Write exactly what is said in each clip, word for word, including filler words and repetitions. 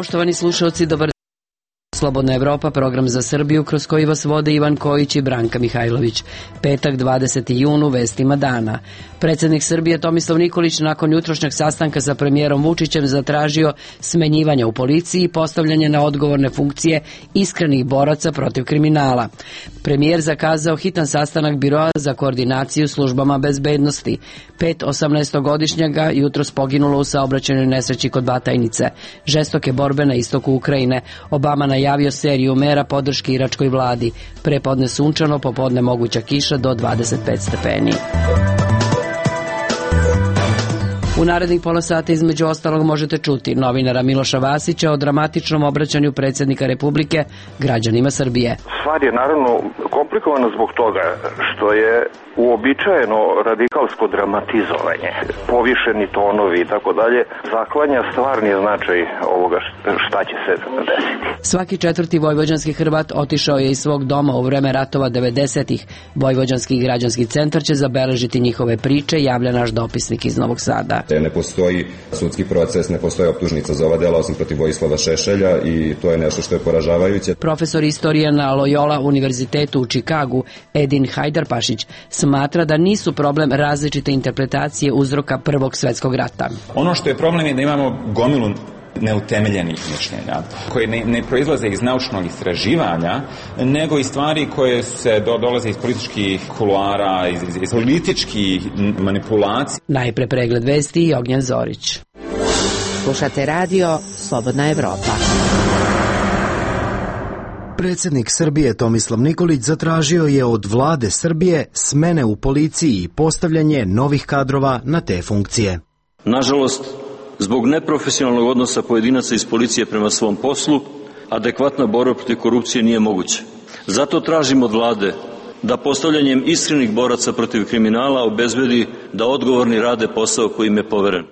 Poštovani slušalci, dobar Slobodna Evropa, program za Srbiju kroz koji vas vode Ivan Kojić i Branka Mihajlović. Petak, dvadeseti jun, u vestima dana. Predsjednik Srbije Tomislav Nikolić nakon jutrošnjeg sastanka sa premijerom Vučićem zatražio smenjivanje u policiji i postavljanje na odgovorne funkcije iskrenih boraca protiv kriminala. Premijer zakazao hitan sastanak Biroa za koordinaciju službama bezbednosti. Pet osamnaestogodišnjaka jutros poginulo u saobraćajnoj nesreći kod Batajnice. Žestoke borbe na istoku Ukrajine. Obama najavio seriju mera podrške iračkoj vladi. Prepodne sunčano, popodne moguća kiša do dvadeset pet stepeni. U narednih pola sata između ostalog možete čuti novinara Miloša Vasića o dramatičnom obraćanju predsjednika Republike građanima Srbije. Stvar je naravno komplikovana zbog toga što je uobičajeno radikalsko dramatizovanje, povišeni tonovi i tako dalje, zaklanja stvarni značaj ovoga šta će se desiti. Svaki četvrti vojvođanski Hrvat otišao je iz svog doma u vreme ratova devedesetih. Vojvođanski građanski centar će zabeležiti njihove priče, javlja naš dopisnik iz Novog Sada. Ne postoji sudski proces, ne postoji optužnica za ova dela osim protiv Vojislava Šešelja i to je nešto što je poražavajuće. Profesor istorije na Loyola univerzitetu u Čikagu Edin Hajdarpašić smatra da nisu problem različite interpretacije uzroka Prvog svjetskog rata. Ono što je problem je da imamo gomilu neutemeljenih mišljenja, koje ne, ne proizlaze iz naučnog istraživanja, nego iz stvari koje se do, dolaze iz političkih kuluara, iz, iz, iz političkih manipulacija. Najpre pregled vesti i Ognjen Zorić. Slušate radio Slobodna Evropa. Predsjednik Srbije Tomislav Nikolić zatražio je od vlade Srbije smene u policiji i postavljanje novih kadrova na te funkcije. Nažalost, zbog neprofesionalnog odnosa pojedinaca iz policije prema svom poslu, adekvatna borba protiv korupcije nije moguća. Zato tražimo od vlade da postavljanjem iskrenih boraca protiv kriminala obezbedi da odgovorni rade posao koji im je poveren.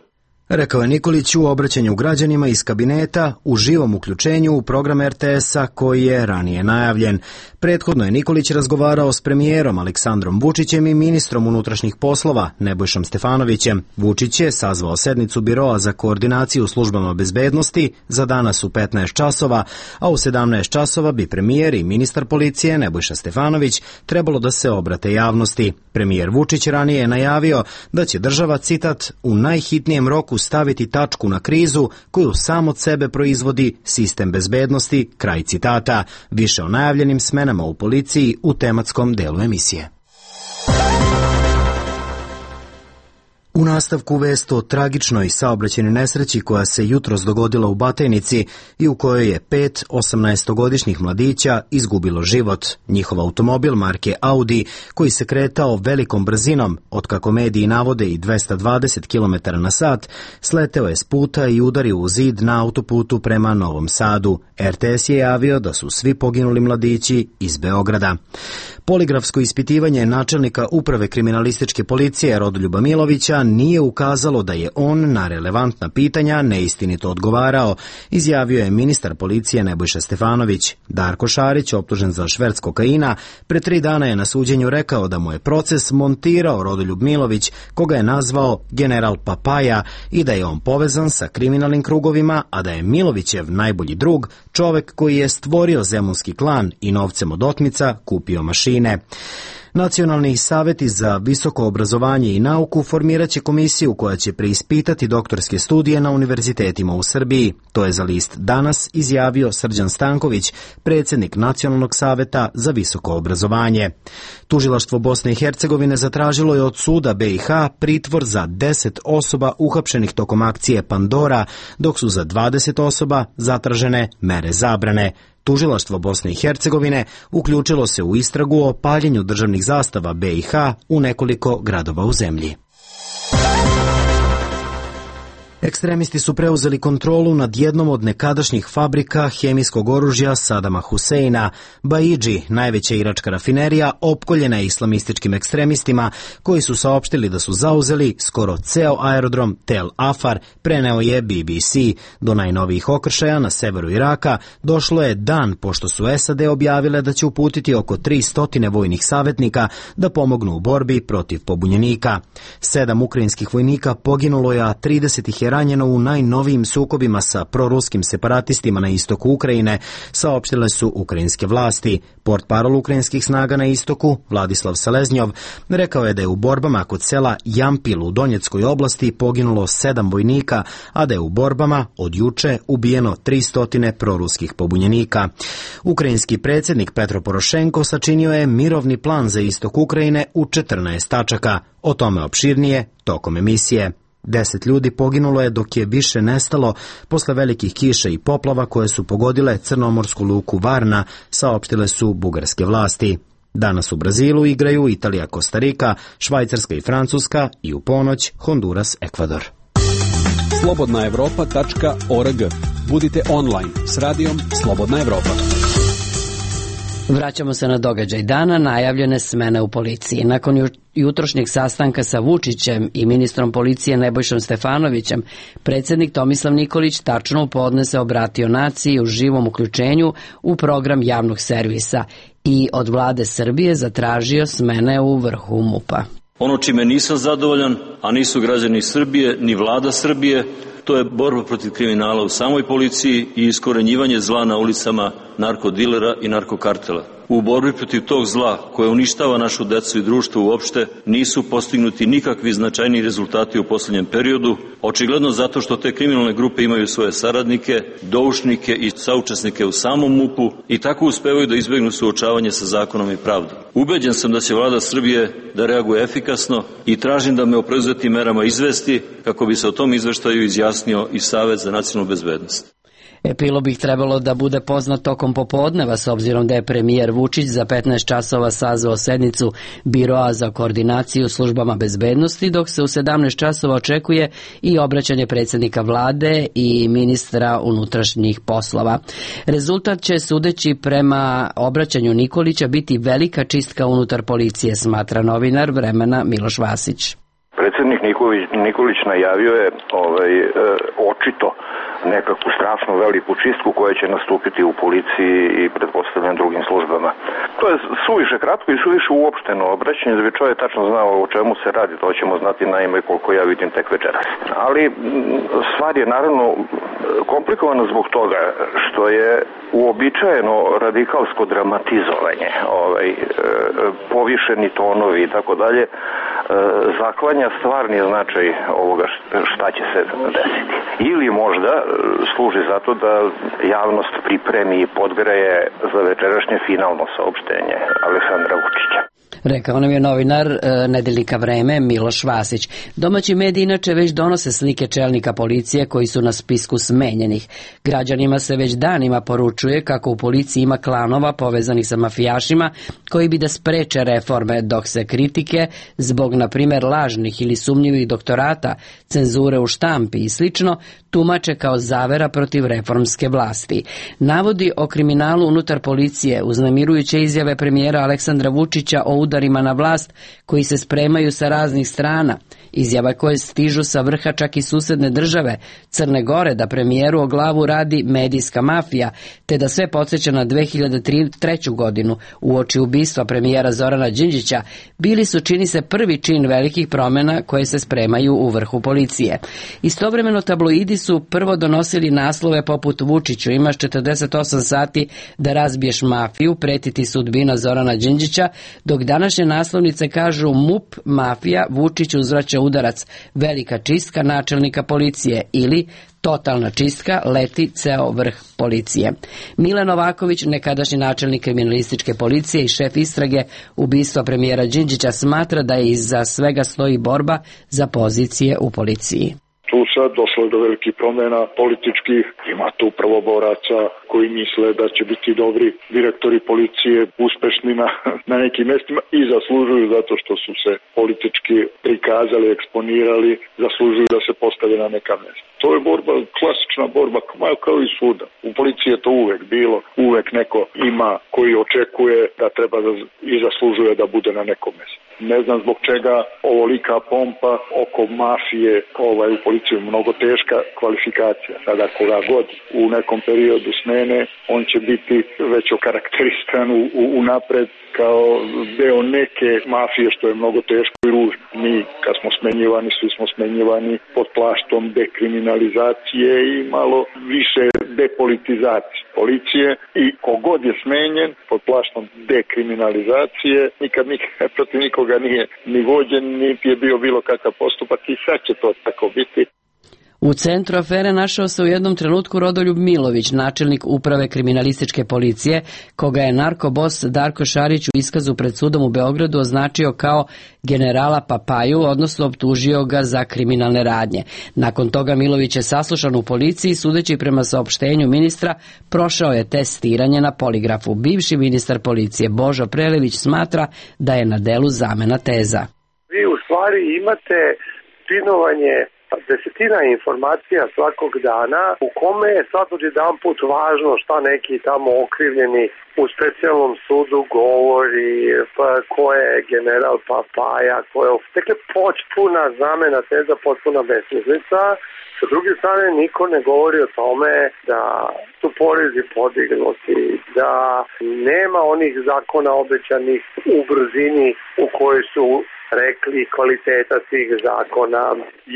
Rekao je Nikolić u obraćanju građanima iz kabineta u živom uključenju u program er te esa koji je ranije najavljen. Prethodno je Nikolić razgovarao s premijerom Aleksandrom Vučićem i ministrom unutrašnjih poslova Nebojšom Stefanovićem. Vučić je sazvao sednicu Biroa za koordinaciju službama bezbednosti za danas u petnaest časova, a u sedamnaest časova bi premijer i ministar policije Nebojša Stefanović trebalo da se obrate javnosti. Premijer Vučić ranije je najavio da će država, citat, u najhitnijem roku staviti tačku na krizu koju sam od sebe proizvodi sistem bezbednosti, kraj citata. Više o najavljenim smenama u policiji u tematskom delu emisije. U nastavku vest o tragičnoj saobraćajnoj nesreći koja se jutros dogodila u Batajnici i u kojoj je pet osamnaestogodišnjih mladića izgubilo život. Njihov automobil marke Audi, koji se kretao velikom brzinom, od kako mediji navode i dvesta dvadeset kilometara na sat, sleteo je s puta i udario u zid na autoputu prema Novom Sadu. er te es je javio da su svi poginuli mladići iz Beograda. Poligrafsko ispitivanje načelnika uprave kriminalističke policije Rodoljuba Milovića nije ukazalo da je on na relevantna pitanja neistinito odgovarao, izjavio je ministar policije Nebojša Stefanović. Darko Šarić, optužen za šverc kokaina, pre tri dana je na suđenju rekao da mu je proces montirao Rodoljub Milović, koga je nazvao general Papaja, i da je on povezan sa kriminalnim krugovima, a da je Milovićev najbolji drug čovek koji je stvorio zemunski klan i novcem od otmica kupio mašine. Nacionalni saveti za visoko obrazovanje i nauku formirat će komisiju koja će preispitati doktorske studije na univerzitetima u Srbiji. To je za list Danas izjavio Srđan Stanković, predsjednik Nacionalnog saveta za visoko obrazovanje. Tužilaštvo Bosne i Hercegovine zatražilo je od suda be i ha pritvor za deset osoba uhapšenih tokom akcije Pandora, dok su za dvadeset osoba zatražene mere zabrane. Tužilaštvo Bosne i Hercegovine uključilo se u istragu o paljenju državnih zastava be i ha u nekoliko gradova u zemlji. Ekstremisti su preuzeli kontrolu nad jednom od nekadašnjih fabrika hemijskog oružja Sadama Huseina. Baidži, najveća iračka rafinerija, opkoljena je islamističkim ekstremistima koji su saopštili da su zauzeli skoro ceo aerodrom Tel Afar, preneo je be be ce. Do najnovijih okršaja na severu Iraka došlo je dan pošto su es a de objavile da će uputiti oko tristo vojnih savjetnika da pomognu u borbi protiv pobunjenika. Sedam ukrajinskih vojnika poginulo je, a trideset ih je je ranjeno u najnovijim sukobima sa proruskim separatistima na istoku Ukrajine, saopštile su ukrajinske vlasti. Portparol ukrajinskih snaga na istoku, Vladislav Seleznjov, rekao je da je u borbama kod sela Jampil u Donjeckoj oblasti poginulo sedam vojnika, a da je u borbama od juče ubijeno tristo proruskih pobunjenika. Ukrajinski predsjednik Petro Porošenko sačinio je mirovni plan za istok Ukrajine u četrnaest tačaka. O tome opširnije tokom emisije. Deset ljudi poginulo je dok je više nestalo posle velikih kiša i poplava koje su pogodile crnomorsku luku Varna, saopštile su bugarske vlasti. Danas u Brazilu igraju Italija, Kostarika, Švajcarska i Francuska i u ponoć Honduras, Ekvador. slobodna evropa tačka org. Budite online s radijom Slobodna Evropa. Vraćamo se na događaj dana, najavljene smene u policiji. Nakon jutrošnjeg sastanka sa Vučićem i ministrom policije Nebojšom Stefanovićem, predsjednik Tomislav Nikolić tačno u podne se obratio naciji u živom uključenju u program javnog servisa i od vlade Srbije zatražio smene u vrhu MUP-a. Ono čime nisam zadovoljan, a nisu građani Srbije ni vlada Srbije, to je borba protiv kriminala u samoj policiji i iskorenjivanje zla na ulicama narkodilera i narkokartela. U borbi protiv tog zla koje uništava našu decu i društvo uopšte nisu postignuti nikakvi značajni rezultati u posljednjem periodu, očigledno zato što te kriminalne grupe imaju svoje saradnike, doušnike i saučesnike u samom MUP-u i tako uspevaju da izbegnu suočavanje sa zakonom i pravdom. Ubeđen sam da će vlada Srbije da reaguje efikasno i tražim da me o preuzetim merama izvesti kako bi se o tom izveštaju izjasnio i Savet za nacionalnu bezbednost. Epilog bi trebalo da bude poznat tokom popodneva, s obzirom da je premijer Vučić za petnaest časova sazvao sednicu Biroa za koordinaciju službama bezbednosti, dok se u sedamnaest časova očekuje i obraćanje predsjednika vlade i ministra unutrašnjih poslova. Rezultat će, sudeći prema obraćanju Nikolića, biti velika čistka unutar policije, smatra novinar Vremena Miloš Vasić. Predsjednik Nikolić, Nikolić najavio je ovaj, e, očito nekakvu strašnu veliku čistku koja će nastupiti u policiji i pretpostavljam drugim službama. To je suviše kratko i suviše uopšteno obraćanje da bi čovjek tačno znao o čemu se radi, to ćemo znati naime koliko ja vidim tek večeras. Ali stvar je naravno komplikovana zbog toga što je uobičajeno radikalsko dramatizovanje, ovaj, povišeni tonovi i tako dalje, zaklanja stvarni značaj ovoga šta će se desiti. Ili možda služi zato da javnost pripremi i podgreje za večerašnje finalno saopštenje Aleksandra Vučića. Rekao nam je novinar e, nedeljnika Vreme Miloš Vasić. Domaći mediji inače već donose slike čelnika policije koji su na spisku smenjenih. Građanima se već danima poručuje kako u policiji ima klanova povezanih sa mafijašima koji bi da spreče reforme, dok se kritike zbog, na primjer, lažnih ili sumnjivih doktorata, cenzure u štampi i slično tumače kao zavera protiv reformske vlasti. Navodi o kriminalu unutar policije, uznemirujuće izjave premijera Aleksandra Vučića o udarima na vlast koji se spremaju sa raznih strana, izjava koje stižu sa vrha čak i susedne države Crne Gore da premijeru o glavu radi medijska mafija, te da sve podsjeća na dve hiljade treću godinu uoči ubistva premijera Zorana Đinđića, bili su, čini se, prvi čin velikih promjena koje se spremaju u vrhu policije. Istovremeno tabloidi su prvo donosili naslove poput Vučiću imaš četrdeset osam sati da razbiješ mafiju, pretiti sudbina Zorana Đinđića, dok današnje naslovnice kažu MUP, mafija, Vučić uzvraća udarac, velika čistka načelnika policije ili totalna čistka, leti ceo vrh policije. Mile Novaković, nekadašnji načelnik kriminalističke policije i šef istrage ubistva premijera Đinđića, smatra da je iza svega stoji borba za pozicije u policiji. Tu sad došlo je do velikih promjena političkih, ima tu prvoboraca koji misle da će biti dobri direktori policije, uspešni na, na nekim mjestima i zaslužuju zato što su se politički prikazali, eksponirali, zaslužuju da se postave na neka mjesta. To je borba, klasična borba, kao i svuda. U policiji je to uvek bilo, uvek neko ima koji očekuje da treba da, i zaslužuje da bude na nekom mjestu. Ne znam zbog čega ovolika pompa oko mafije ovaj, u policiju, mnogo teška kvalifikacija. Sada koga god u nekom periodu smene, on će biti već okarakterisan u, u, u napred kao deo neke mafije, što je mnogo teško i ružno. Mi kad smo smenjivani, svi smo smenjivani pod plaštom dekriminalizacije i malo više depolitizacije policije i kogod je smenjen pod plaštom dekriminalizacije, nikad nikad protiv nikoga nije ni vođen, niti je bio bilo kakav postupak i sad će to tako biti. U centru afere našao se u jednom trenutku Rodoljub Milović, načelnik uprave kriminalističke policije, koga je narkobos Darko Šarić u iskazu pred sudom u Beogradu označio kao generala Papaju, odnosno optužio ga za kriminalne radnje. Nakon toga Milović je saslušan u policiji, sudeći prema saopštenju ministra, prošao je testiranje na poligrafu. Bivši ministar policije Božo Prelević smatra da je na delu zamena teza. Vi u stvari imate spinovanje desetina informacija svakog dana u kome je sad odjedan put važno šta neki tamo okrivljeni u specijalnom sudu govori, pa ko je general Papaja, ko je... Dakle, potpuna zamena teza, potpuna besmislica. Sa druge strane, niko ne govori o tome da su porezi podignuti, da nema onih zakona obećanih u brzini u kojoj su rekli kvaliteta tih zakona.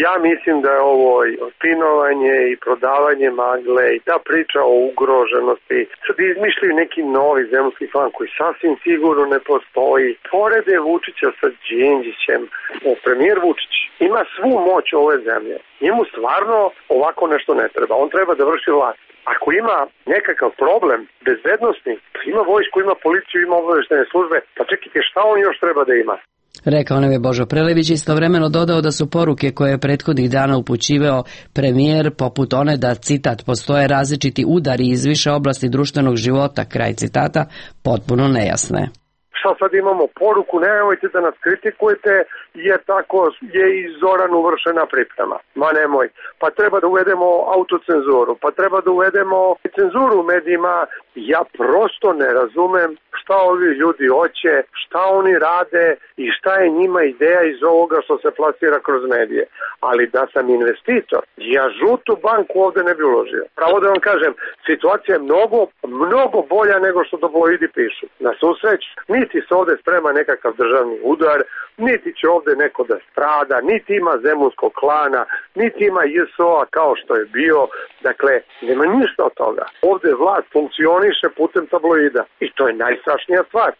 Ja mislim da je ovo spinovanje i prodavanje magle i ta priča o ugroženosti. Sad izmišljaju neki novi zemljski klan koji sasvim sigurno ne postoji. Porede Vučića sa Đinđićem, o premijer Vučić ima svu moć ove zemlje. Njemu stvarno ovako nešto ne treba. On treba da vrši vlast. Ako ima nekakav problem bezbednosni, ima vojsku, ima policiju, ima obaveštajne službe, pa čekajte šta on još treba da ima? Rekao nam je Božo Prelević, istovremeno dodao da su poruke koje je prethodnih dana upućivao premijer poput one da, citat, postoje različiti udari iz više oblasti društvenog života, kraj citata, potpuno nejasne. Šta sad imamo poruku, nemojte da nas kritikujete jer tako je i Zoran uvršena priprema. Ma nemoj. Pa treba da uvedemo autocenzuru, pa treba da uvedemo cenzuru u medijima. Ja prosto ne razumem šta ovi ljudi hoće, šta oni rade i šta je njima ideja iz ovoga što se plasira kroz medije. Ali da sam investitor, ja žutu banku ovde ne bi uložio. Pravo da vam kažem, situacija je mnogo, mnogo bolja nego što tabloidi pišu. Na susreć, niti se ovde sprema nekakav državni udar, niti će ovde neko da strada, niti ima zemunskog klana, niti ima J S O-a kao što je bio. Dakle, nema ništa od toga. Ovde vlast funkcioniše putem tabloida i to je najstrašnija stvar.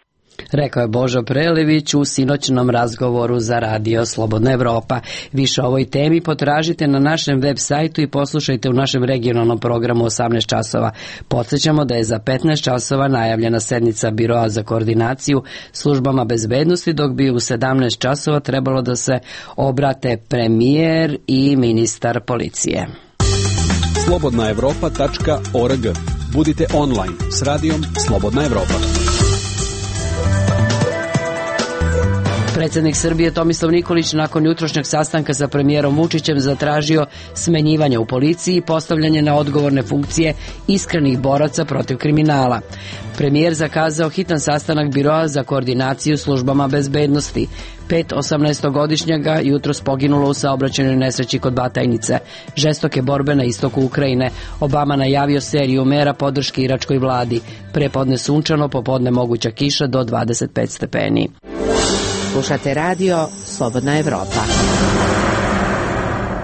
Rekao je Božo Prelević u sinoćnom razgovoru za radio Slobodna Evropa. Više o ovoj temi potražite na našem web sajtu i poslušajte u našem regionalnom programu osamnaest časova. Podsjećamo da je za petnaest časova najavljena sednica Biroa za koordinaciju službama bezbednosti, dok bi u sedamnaest časova trebalo da se obrate premijer i ministar policije. slobodna evropa tačka org. Budite online s radijom Slobodna Evropa. Predsjednik Srbije Tomislav Nikolić nakon jutrošnjeg sastanka sa premijerom Vučićem zatražio smenjivanje u policiji i postavljanje na odgovorne funkcije iskrenih boraca protiv kriminala. Premijer zakazao hitan sastanak Biroa za koordinaciju službama bezbednosti. Pet osamnaestogodišnjaga jutros poginulo u saobraćajnoj nesreći kod Batajnice. Žestoke borbe na istoku Ukrajine. Obama najavio seriju mera podrške iračkoj vladi. Prepodne sunčano, popodne moguća kiša do dvadeset pet stepeni. Slušate radio Slobodna Evropa.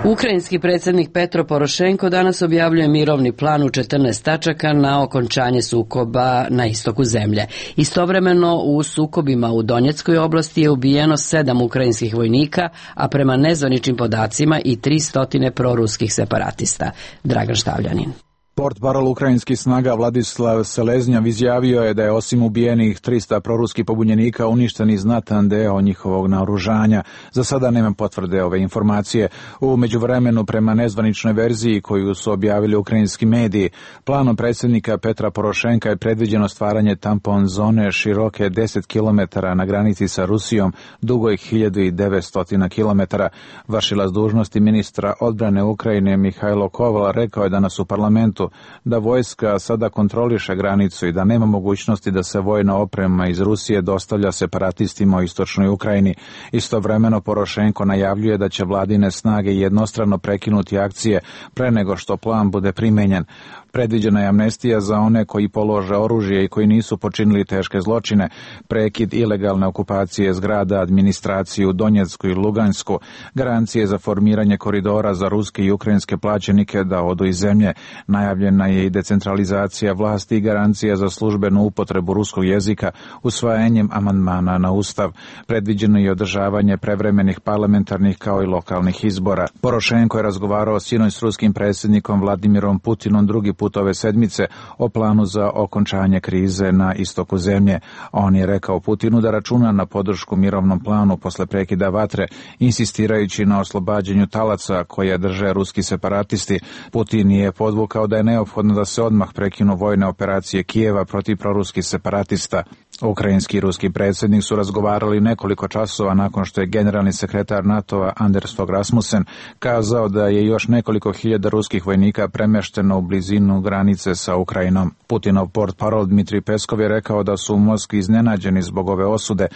Ukrajinski predsjednik Petro Porošenko danas objavljuje mirovni plan u četrnaest tačaka na okončanje sukoba na istoku zemlje. Istovremeno u sukobima u Donjeckoj oblasti je ubijeno sedam ukrajinskih vojnika, a prema nezvaničnim podacima i tristo proruskih separatista. Dragan Štavljanin. Portparol ukrajinskih snaga Vladislav Seleznjav izjavio je da je osim ubijenih trista proruskih pobunjenika uništen i znatan deo njihovog naoružanja. Za sada nema potvrde ove informacije. U međuvremenu, prema nezvaničnoj verziji koju su objavili ukrajinski mediji, planom predsjednika Petra Porošenka je predviđeno stvaranje tampon zone široke deset kilometara na granici sa Rusijom, dugoj hiljadu devetsto kilometara. Vršilac dužnosti ministra odbrane Ukrajine Mihajlo Koval rekao je danas u parlamentu Beogradu, da vojska sada kontroliše granicu i da nema mogućnosti da se vojna oprema iz Rusije dostavlja separatistima u istočnoj Ukrajini. Istovremeno Porošenko najavljuje da će vladine snage jednostrano prekinuti akcije pre nego što plan bude primenjen. Predviđena je amnestija za one koji polože oružje i koji nisu počinili teške zločine, prekid ilegalne okupacije zgrada, administraciju u Donjecku i Lugansku, garancije za formiranje koridora za ruske i ukrajinske plaćenike da odu iz zemlje. Najavljena je i decentralizacija vlasti i garancija za službenu upotrebu ruskog jezika usvajanjem amandmana na Ustav. Predviđeno je održavanje prevremenih parlamentarnih kao i lokalnih izbora. Porošenko je razgovarao sinoć s ruskim predsjednikom Vladimirom Putinom drugi put ove sedmice o planu za okončanje krize na istoku zemlje. On je rekao Putinu da računa na podršku mirovnom planu posle prekida vatre, insistirajući na oslobađanju talaca koje drže ruski separatisti. Putin je podvukao da je neophodno da se odmah prekinu vojne operacije Kijeva protiv proruskih separatista. Ukrajinski i ruski predsjednik su razgovarali nekoliko časova nakon što je generalni sekretar NATO-a Anders Fogh Rasmussen kazao da je još nekoliko hiljada ruskih vojnika premešteno u blizinu granice sa Ukrajinom. Putinov portparol Dmitrij Peskov je rekao da su u Moskvi iznenađeni zbog ove osude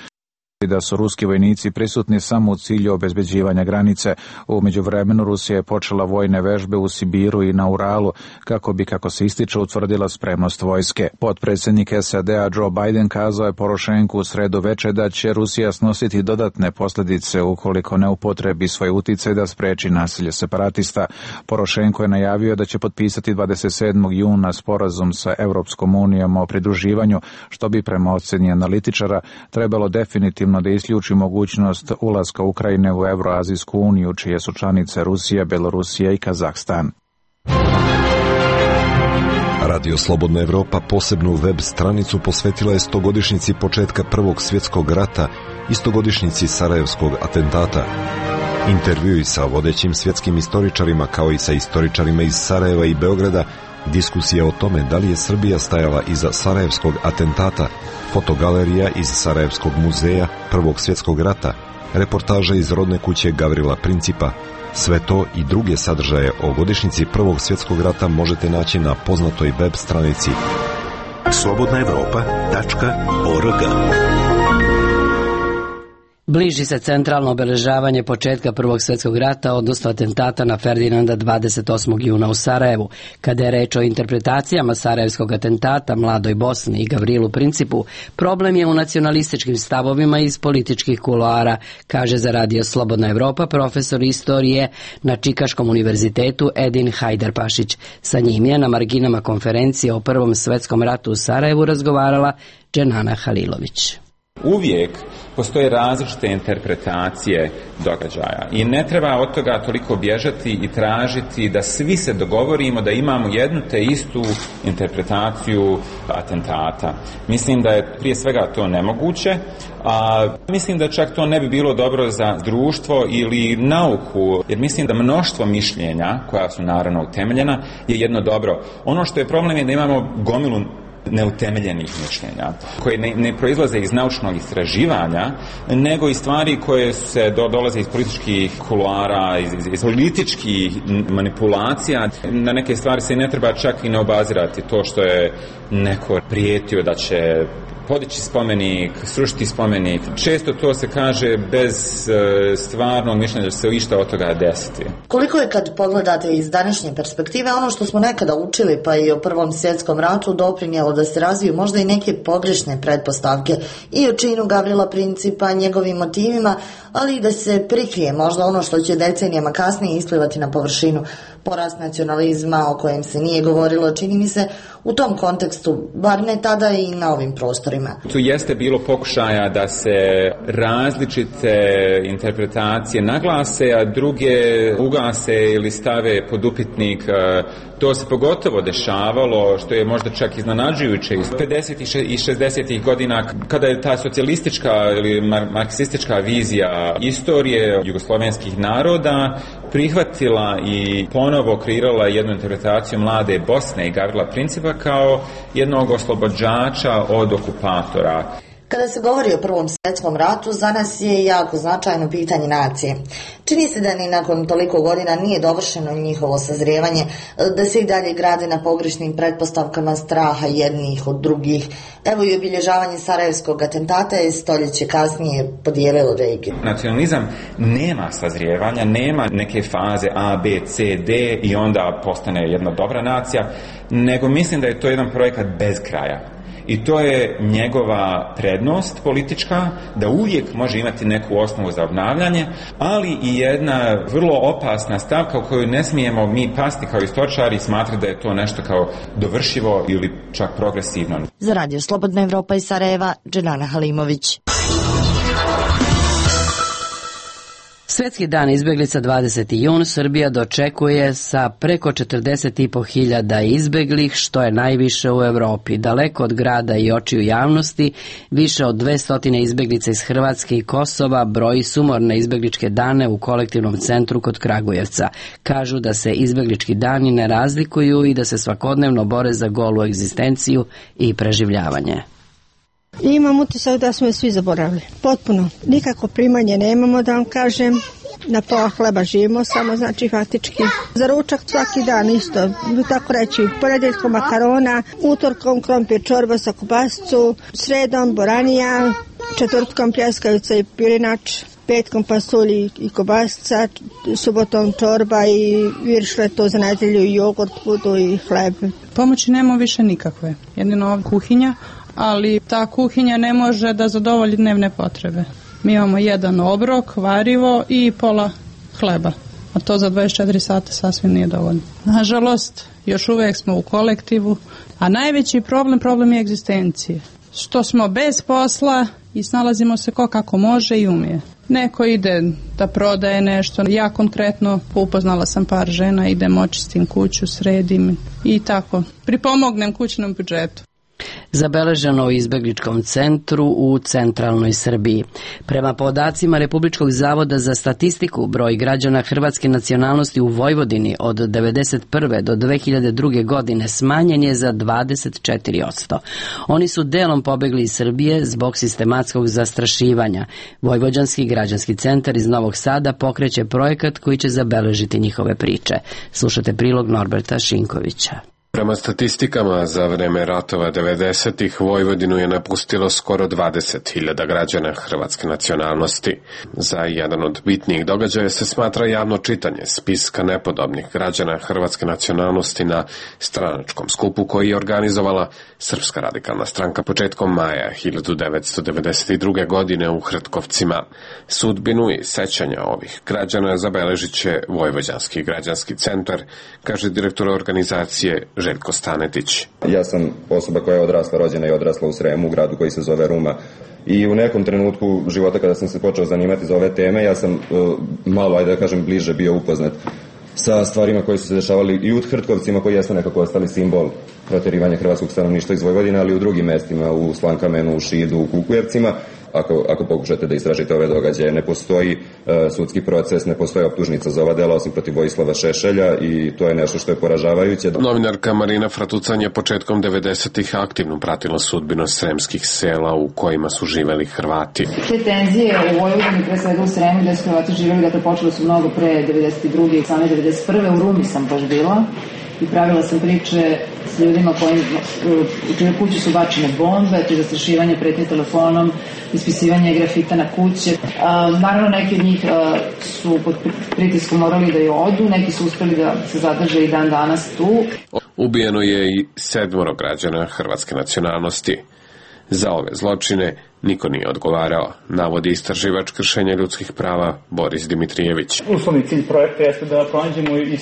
i da su ruski vojnici prisutni samo u cilju obezbeđivanja granice. U međuvremenu Rusija je počela vojne vežbe u Sibiru i na Uralu kako bi, kako se ističe, utvrdila spremnost vojske. Potpredsjednik S A D-a Joe Biden kazao je Porošenku u sredu veče da će Rusija snositi dodatne posljedice ukoliko ne upotrebi svoj uticaj da spreči nasilje separatista. Porošenko je najavio da će potpisati dvadeset sedmog juna sporazum sa Europskom unijom o pridruživanju, što bi prema ocjeni analitičara trebalo definitivno da isključi mogućnost ulaska Ukrajine u Evroazijsku uniju, čije su članice Rusija, Belorusija i Kazahstan. Radio Slobodna Evropa posebnu web stranicu posvetila je stogodišnjici početka Prvog svjetskog rata i stogodišnjici Sarajevskog atentata. Intervjui sa vodećim svjetskim istoričarima kao i sa istoričarima iz Sarajeva i Beograda, diskusija o tome da li je Srbija stajala iza Sarajevskog atentata, fotogalerija iz Sarajevskog muzeja Prvog svjetskog rata, reportaža iz rodne kuće Gavrila Principa. Sve to i druge sadržaje o godišnjici Prvog svjetskog rata možete naći na poznatoj web stranici slobodna evropa tačka org. Bliži se centralno obeležavanje početka Prvog svjetskog rata, odnosno atentata na Ferdinanda dvadeset osmog juna u Sarajevu. Kada je reč o interpretacijama sarajevskog atentata, Mladoj Bosni i Gavrilu Principu, problem je u nacionalističkim stavovima iz političkih kuloara, kaže za Radio Slobodna Evropa profesor istorije na Čikaškom univerzitetu Edin Hajdarpašić. Sa njim je na marginama konferencije o Prvom svjetskom ratu u Sarajevu razgovarala Dženana Halilović. Uvijek postoje različite interpretacije događaja i ne treba od toga toliko bježati i tražiti da svi se dogovorimo da imamo jednu te istu interpretaciju atentata. Mislim da je prije svega to nemoguće, a mislim da čak to ne bi bilo dobro za društvo ili nauku, jer mislim da mnoštvo mišljenja, koja su naravno utemeljena, je jedno dobro. Ono što je problem je da imamo gomilu neutemeljenih mišljenja, koje ne, ne proizlaze iz naučnog istraživanja, nego iz stvari koje se do, dolaze iz političkih kuloara, iz, iz, iz političkih manipulacija. Na neke stvari se ne treba čak i ne obazirati. To što je neko prijetio da će podići spomenik, srušiti spomenik, često to se kaže bez e, stvarnog mišljenja da se išta od toga desiti. Koliko je, kad pogledate iz današnje perspektive, ono što smo nekada učili pa i o Prvom svjetskom ratu doprinijelo da se razviju možda i neke pogrešne pretpostavke i o činu Gavrila Principa, njegovim motivima, ali i da se prikrije možda ono što će decenijama kasnije isplivati na površinu, porast nacionalizma o kojem se nije govorilo, čini mi se, u tom kontekstu, bar ne tada i na ovim prostorima. Tu jeste bilo pokušaja da se različite interpretacije naglase, a druge ugase ili stave pod upitnik. To se pogotovo dešavalo, što je možda čak iznenađujuće iz pedesetih i šezdesetih godina, kada je ta socijalistička ili marksistička vizija istorije jugoslovenskih naroda prihvatila i ponovo kreirala jednu interpretaciju Mlade Bosne i Gavrila Principa kao jednog oslobođača od okupatora. Kada se govori o Prvom svjetskom ratu, za nas je jako značajno pitanje nacije. Čini se da ni nakon toliko godina nije dovršeno njihovo sazrijevanje, da se i dalje grade na pogrešnim pretpostavkama straha jednih od drugih. Evo i obilježavanje sarajevskog atentata je stoljeće kasnije podijelilo regiju. Nacionalizam nema sazrijevanja, nema neke faze A, B, C, D i onda postane jedna dobra nacija, nego mislim da je to jedan projekat bez kraja. I to je njegova prednost politička, da uvijek može imati neku osnovu za obnavljanje, ali i jedna vrlo opasna stavka u koju ne smijemo mi pasti kao istoričari i smatrati da je to nešto kao dovršivo ili čak progresivno. Za Radio Slobodna Evropa iz Sarajeva, Dženana Halimović. Svetski dan izbeglica dvadeseti jun Srbija dočekuje sa preko četrdeset i po hiljada izbeglih, što je najviše u Evropi. Daleko od grada i očiju javnosti, više od dvesta izbeglica iz Hrvatske i Kosova broji sumorne izbegličke dane u kolektivnom centru kod Kragujevca. Kažu da se izbeglički dani ne razlikuju i da se svakodnevno bore za golu egzistenciju i preživljavanje. Imam utisak da smo je svi zaboravili. Potpuno. Nikako primanje nemamo, da vam kažem. Na pola hleba živimo, samo znači faktički. Za ručak svaki dan isto, tako reći, ponedjeljkom makarona, utorkom krompir čorba sa kobasicu, sredom boranija, četvrtkom pljeskavica i pirinač, petkom pasulj i kobasica, subotom čorba i viršleto za nedjelju i jogurt, budu i hleb. Pomoći nema više nikakve, jedino ovdje kuhinja, ali ta kuhinja ne može da zadovolji dnevne potrebe. Mi imamo jedan obrok, varivo i pola hleba, a to za dvadeset četiri sata sasvim nije dovoljno. Nažalost, još uvijek smo u kolektivu, a najveći problem, problem je egzistencije. Što smo bez posla i snalazimo se ko kako može i umije. Neko ide da prodaje nešto, ja konkretno upoznala sam par žena, idem očistim kuću, sredim i tako, pripomognem kućnom budžetu. Zabeleženo u izbegličkom centru u centralnoj Srbiji. Prema podacima Republičkog zavoda za statistiku, broj građana hrvatske nacionalnosti u Vojvodini od devedeset prve do dve hiljade druge. godine smanjen je za dvadeset četiri posto. Oni su delom pobegli iz Srbije zbog sistematskog zastrašivanja. Vojvođanski građanski centar iz Novog Sada pokreće projekat koji će zabeležiti njihove priče. Slušate prilog Norberta Šinkovića. Prema statistikama, za vreme ratova devedesetih Vojvodinu je napustilo skoro dvadeset hiljada građana hrvatske nacionalnosti. Za jedan od bitnijih događaja se smatra javno čitanje spiska nepodobnih građana hrvatske nacionalnosti na stranačkom skupu koji je organizovala Srpska radikalna stranka početkom maja hiljadu devetsto devedeset druge. godine u Hrtkovcima. Sudbinu i sećanja ovih građana zabeležit će Vojvođanski građanski centar, kaže direktor organizacije Željko Stanetić. Ja sam osoba koja je odrasla, rođena i odrasla u Sremu, u gradu koji se zove Ruma. I u nekom trenutku života kada sam se počeo zanimati za ove teme, ja sam uh, malo, ajde da kažem, bliže bio upoznat sa stvarima koje su se dešavali i u Hrtkovcima, koji jesu nekako ostali simbol proterivanja hrvatskog stanovništva iz Vojvodine, ali i u drugim mestima, u Slankamenu, u Šidu, u Kukujevcima. Ako, ako pokušate da istražite ove događaje, ne postoji uh, sudski proces, ne postoji optužnica za ova dela osim protiv Vojislava Šešelja i to je nešto što je poražavajuće. Novinarka Marina Fratucan je početkom devedesetih aktivno pratila sudbinu sremskih sela u kojima su živeli Hrvati. Te tenzije u Vojvodini, pre svega u Sremu gde su Hrvati živeli, dakle počelo su mnogo pre devedeset druge. i same devedeset prve. U Rumi sam baš bila i pravila sam priče s ljudima kojim, u čiju kuću su bačene bombe, to je zastrašivanje, pretnje telefonom, ispisivanje grafita na kuće. A, naravno, neki od njih a, su pod pritiskom morali da je odu, neki su uspeli da se zadrže i dan danas tu. Ubijeno je i sedmoro građana hrvatske nacionalnosti. Za ove zločine niko nije odgovarao, navodi istraživač kršenja ljudskih prava Boris Dimitrijević. Uslovni cilj projekta jeste da pronađemo i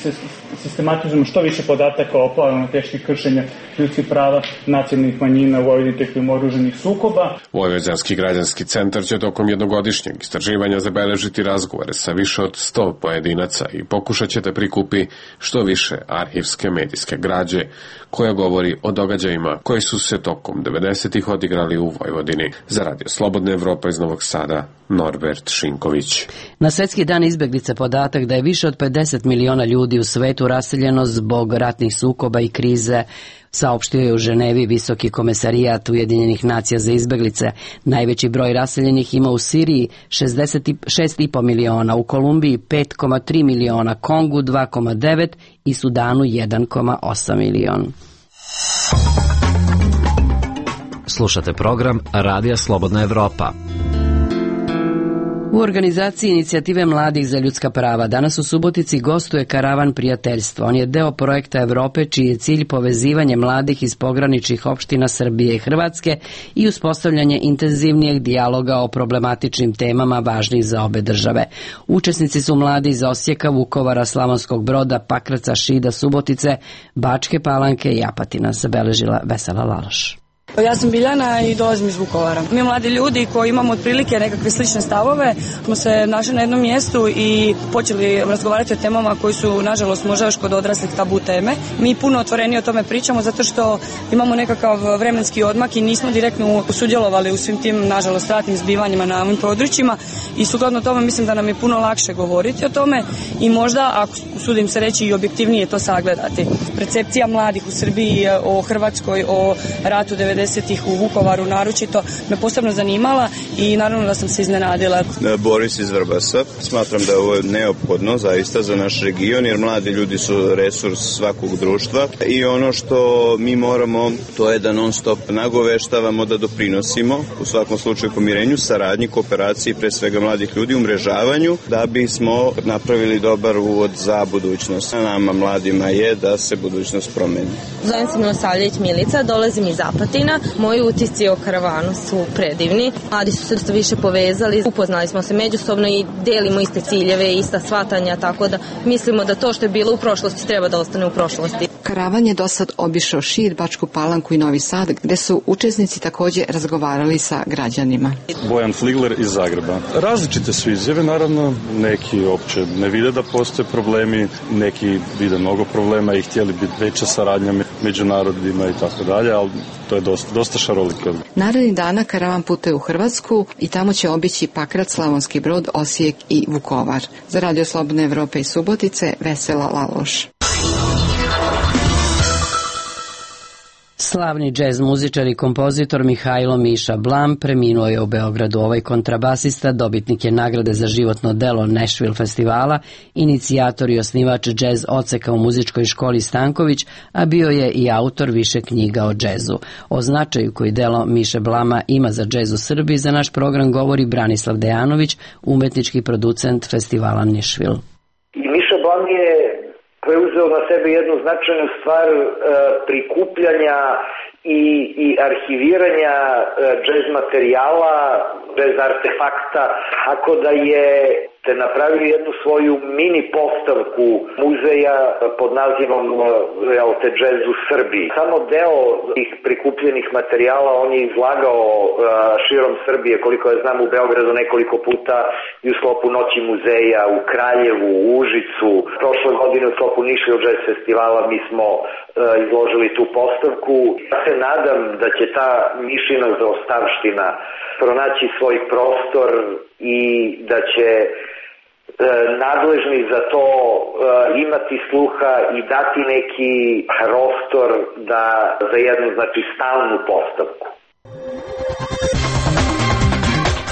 sistematizujemo što više podataka o pojavama teških kršenja ljudskih prava nacionalnih manjina u Vojvodini tokom oružanih sukoba. Vojvođanski građanski centar će tokom jednogodišnjeg istraživanja zabeležiti razgovore sa više od sto pojedinaca i pokušat će da prikupi što više arhivske medijske građe koja govori o događajima koji su se tokom devedesetih odigrali u Vojvodini. Za Radio Slobodna Evropa iz Novog Sada, Norbert Šinković. Na Svetski dan izbeglice podatak da je više od pedeset miliona ljudi u svetu raseljeno zbog ratnih sukoba i krize saopštio je u Ženevi Visoki komesarijat Ujedinjenih nacija za izbeglice. Najveći broj raseljenih ima u Siriji šezdeset šest i po miliona, u Kolumbiji pet zarez tri miliona, Kongu dva zarez devet i Sudanu jedan zarez osam miliona. Slušate program Radija Slobodna Evropa. U organizaciji Inicijative mladih za ljudska prava danas u Subotici gostuje Karavan prijateljstva. On je deo projekta Evrope čiji je cilj povezivanje mladih iz pograničnih opština Srbije i Hrvatske i uspostavljanje intenzivnijeg dijaloga o problematičnim temama važnih za obe države. Učesnici su mladi iz Osijeka, Vukovara, Slavonskog Broda, Pakraca, Šida, Subotice, Bačke Palanke i Apatina, zabeležila Vesela Laloš. Ja sam Biljana i dolazim iz Vukovara. Mi mladi ljudi koji imamo otprilike nekakve slične stavove smo se našli na jednom mjestu i počeli razgovarati o temama koji su, nažalost, možda još kod odraslih tabu teme. Mi puno otvorenije o tome pričamo zato što imamo nekakav vremenski odmak i nismo direktno sudjelovali u svim tim, nažalost, ratnim zbivanjima na ovim područjima i sukladno tome mislim da nam je puno lakše govoriti o tome i možda, ako sudim se reći, i objektivnije to sagledati. Percepcija mladih u Srbiji o Hrvatskoj, o ratu devedesetih u Vukovaru naročito me posebno zanimala i naravno da sam se iznenadila. Boris iz Vrbasa. Smatram da je ovo neophodno zaista za naš region jer mladi ljudi su resurs svakog društva i ono što mi moramo to je da non stop nagoveštavamo, da doprinosimo u svakom slučaju pomirenju, saradnji, kooperaciji pre svega mladih ljudi, umrežavanju da bismo napravili dobar uvod za budućnost. Nama mladima je da se budućnost promeni. Zovem se Milosavljević Milica, dolazim iz Apatina. Moji utisci o karavanu su predivni. Mladi su se više povezali, upoznali smo se međusobno i delimo iste ciljeve, ista shvatanja, tako da mislimo da to što je bilo u prošlosti treba da ostane u prošlosti. Karavan je do sad obišao Šid, Bačku Palanku i Novi Sad, gde su učesnici takođe razgovarali sa građanima. Bojan Fligler iz Zagreba. Različite su izjave, naravno, neki opće ne vide da postoje problemi, neki vide mnogo problema i htjeli bi veća saradnja među narodima i tako dalje, ali to je dosta, dosta šaroliko. Narednih dana karavan putuje u Hrvatsku i tamo će obići Pakrac, Slavonski Brod, Osijek i Vukovar. Za Radio Slobodne Evrope i Subotice, Vesela Laloš. Slavni džez muzičar i kompozitor Mihajlo Miša Blam preminuo je u Beogradu. Ovaj kontrabasista dobitnik je nagrade za životno delo Nashville festivala, inicijator i osnivač džez odseka u muzičkoj školi Stanković, a bio je i autor više knjiga o džezu. O značaju koji delo Miše Blama ima za džez u Srbiji za naš program govori Branislav Dejanović, umetnički producent festivala Nashville. Miša Blam je preuzeo na sebe jednu značajnu stvar e, prikupljanja i, i arhiviranja e, džez materijala, džez artefakta, tako da je te napravio jednu svoju mini postavku muzeja pod nazivom jel, te džez u Srbiji. Samo deo tih prikupljenih materijala on je izlagao uh, širom Srbije, koliko ja znam, u Beogradu nekoliko puta i u sklopu Noći muzeja, u Kraljevu, u Užicu. Prošle godine u sklopu Nashville Jazz festivala mi smo uh, izložili tu postavku. Ja se nadam da će ta Mišina zaostavština pronaći svoj prostor i da će nadležni za to imati sluha i dati neki prostor da za jednu, znači, stalnu postavku.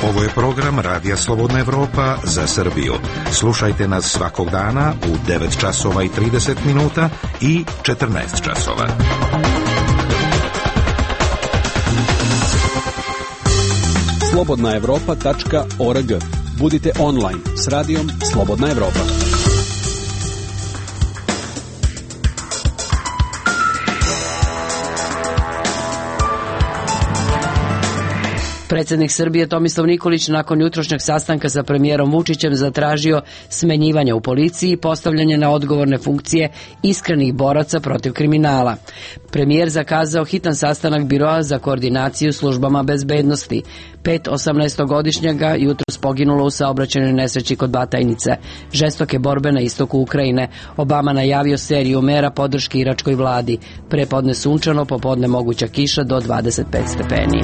Ovo je program Radija Slobodna Evropa za Srbiju. Slušajte nas svakog dana u devet časova i trideset minuta i četrnaest časova. slobodna evropa tačka org. Budite online s radijom Slobodna Evropa. Predsjednik Srbije Tomislav Nikolić nakon jutrošnjeg sastanka sa premijerom Vučićem zatražio smenjivanje u policiji i postavljanje na odgovorne funkcije iskrenih boraca protiv kriminala. Premijer zakazao hitan sastanak Biroa za koordinaciju službama bezbednosti. Pet osamnaestogodišnjaka jutros poginulo u saobraćajnoj nesreći kod Batajnice. Žestoke borbe na istoku Ukrajine. Obama najavio seriju mera podrške iračkoj vladi. Prepodne sunčano, popodne moguća kiša do dvadeset pet stepeni.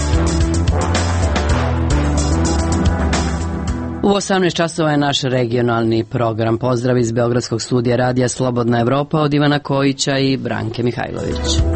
U osamnaest časova je naš regionalni program. Pozdrav iz Beogradskog studija radija Slobodna Evropa od Ivana Kojića i Branke Mihajlović.